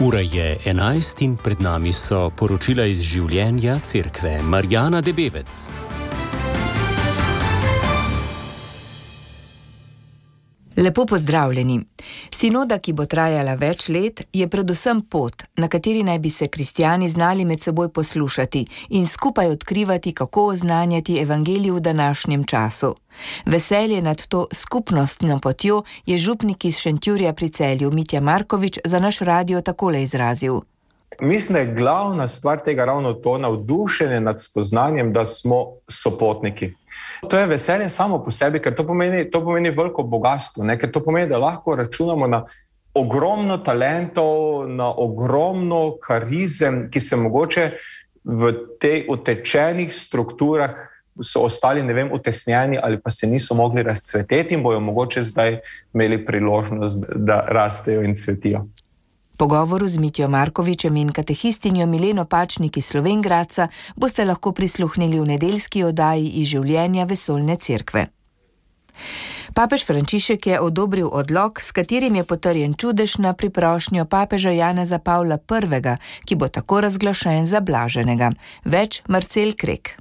Ura je 11 in pred nami so poročila iz življenja cerkve. Marjana Debevec. Lepo pozdravljeni. Sinoda, ki bo trajala več let, je predvsem pot, na kateri naj bi se kristjani znali med seboj poslušati in skupaj odkrivati, kako oznanjati evangelij v današnjem času. Veselje nad to skupnostno potjo je župnik iz Šentjurja pri Celju Mitja Markovič za naš radio takole izrazil. Mislim, da je glavna stvar tega ravno to navdušenje nad spoznanjem, da smo sopotniki. To je veselje samo po sebi, ker to pomeni veliko bogatstvo, ker to pomeni, da lahko računamo na ogromno talentov, na ogromno karizem, ki se mogoče v tej utečenih strukturah so ostali, utesnjeni ali pa se niso mogli razcveteti in bojo mogoče zdaj imeli priložnost, da rastejo in cvetijo. Pogovoru z Mitjo Markovičem in katehistinjo Mileno Pačnik iz Slovenj Gradca boste lahko prisluhnili v nedeljski oddaji iz življenja vesoljne cerkve. Papež Frančišek je odobril odlok, s katerim je potrjen čudež na priprošnjo papeža Janeza Pavla I., ki bo tako razglašen za blaženega. Več Marcel Krek.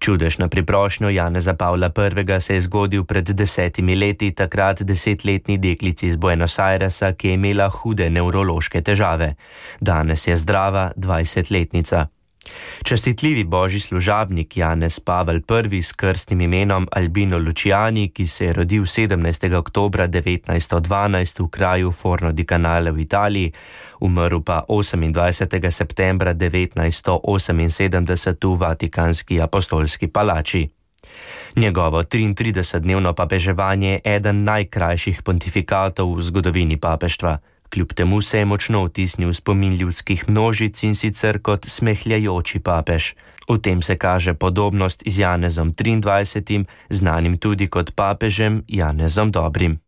Čudež na priprošnjo Janeza Pavla I. se je zgodil pred 10 leti, takrat 10-letni deklici iz Buenos Airesa, ki je imela hude nevrološke težave. Danes je zdrava 20-letnica. Častitljivi božji služabnik Janez Pavel I. s krstnim imenom Albino Luciani, ki se je rodil 17. oktobra 1912 v kraju Forno di Canale v Italiji, umrl pa 28. septembra 1978 v Vatikanski apostolski palači. Njegovo 33-dnevno papeževanje je eden najkrajših pontifikatov v zgodovini papeštva. Kljub temu se je močno vtisnil v spomin ljudskih množic in sicer kot smehljajoči papež. V tem se kaže podobnost z Janezom 23., znanim tudi kot papežem Janezom Dobrim.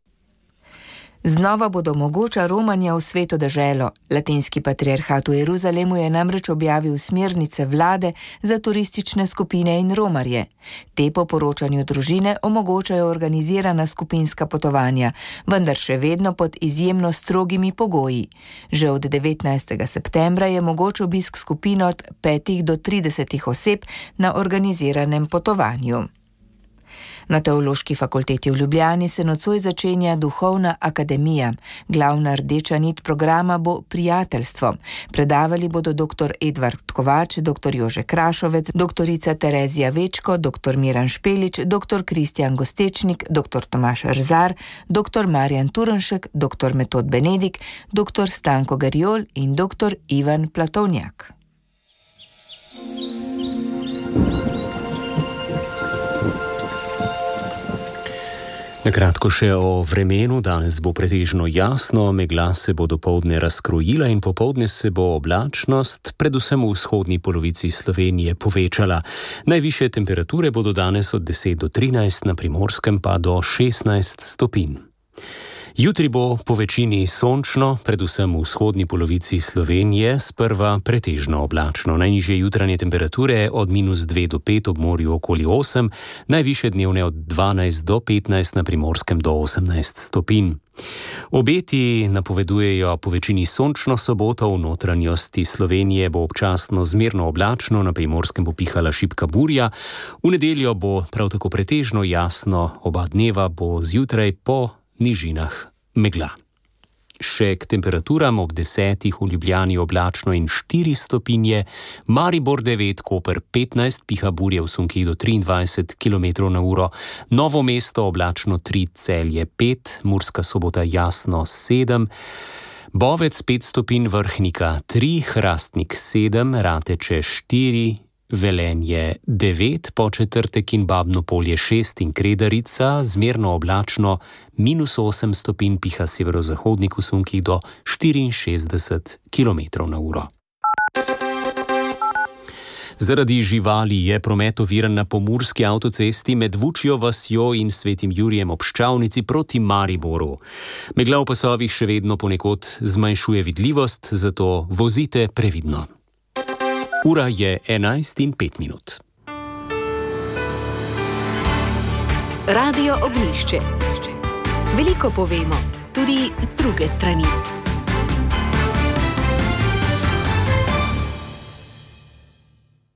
Znova bodo mogoča romanja v sveto deželo. Latinski patriarhat v Jeruzalemu je namreč objavil smernice vlade za turistične skupine in romarje. Te po poročanju družine omogočajo organizirana skupinska potovanja, vendar še vedno pod izjemno strogimi pogoji. Že od 19. septembra je mogoč obisk skupin od 5 do 30 oseb na organiziranem potovanju. Na Teološki fakulteti v Ljubljani se nocoj začenja duhovna akademija. Glavna rdeča nit programa bo prijateljstvo. Predavali bodo dr. Edvard Kovač, dr. Jože Krašovec, dr. Terezija Večko, dr. Miran Špelič, dr. Kristjan Gostečnik, dr. Tomaž Rzar, dr. Marjan Turnšek, dr. Metod Benedik, dr. Stanko Garjol in dr. Ivan Platovnjak. Nakratko še o vremenu. Danes bo pretežno jasno, megla se bo dopoldne razkrojila in popoldne se bo oblačnost, predvsem v vzhodni polovici Slovenije, povečala. Najvišje temperature bodo danes od 10 do 13, na Primorskem pa do 16 stopinj. Jutri bo po večini sončno, predvsem v vzhodni polovici Slovenije, sprva pretežno oblačno. Najnižje jutranje temperature od -2 do 5 ob morju okoli 8, najvišje dnevne od 12 do 15, na Primorskem do 18 stopinj. Obeti napovedujejo po večini sončno soboto, v notranjosti Slovenije bo občasno zmerno oblačno, na Primorskem bo pihala šibka burja, v nedeljo bo prav tako pretežno jasno, oba dneva bo zjutraj po nižinah megla. Še k temperaturam: ob 10 v Ljubljani oblačno in 4 stopinje, Maribor 9, Koper 15, piha burje v sunkih do 23 km/h, Novo mesto oblačno 3, Celje 5, Murska Sobota jasno 7, Bovec 5 stopinj, Vrhnika 3, Hrastnik 7, Rateče 4, Velenje 9, Podčetrtek in Babno Polje 6 in Kredarica zmerno oblačno, -8 stopinj, piha severozahodnik v sunkih do 64 km/h. Zaradi živali je promet oviran na pomurski avtocesti med Vučjo vasjo in Svetim Jurijem ob Ščavnici proti Mariboru. Megla v pasovih še vedno ponekod zmanjšuje vidljivost, zato vozite previdno. Ura je 11:05. Radio Ognjišče. Veliko povemo, tudi z druge strani.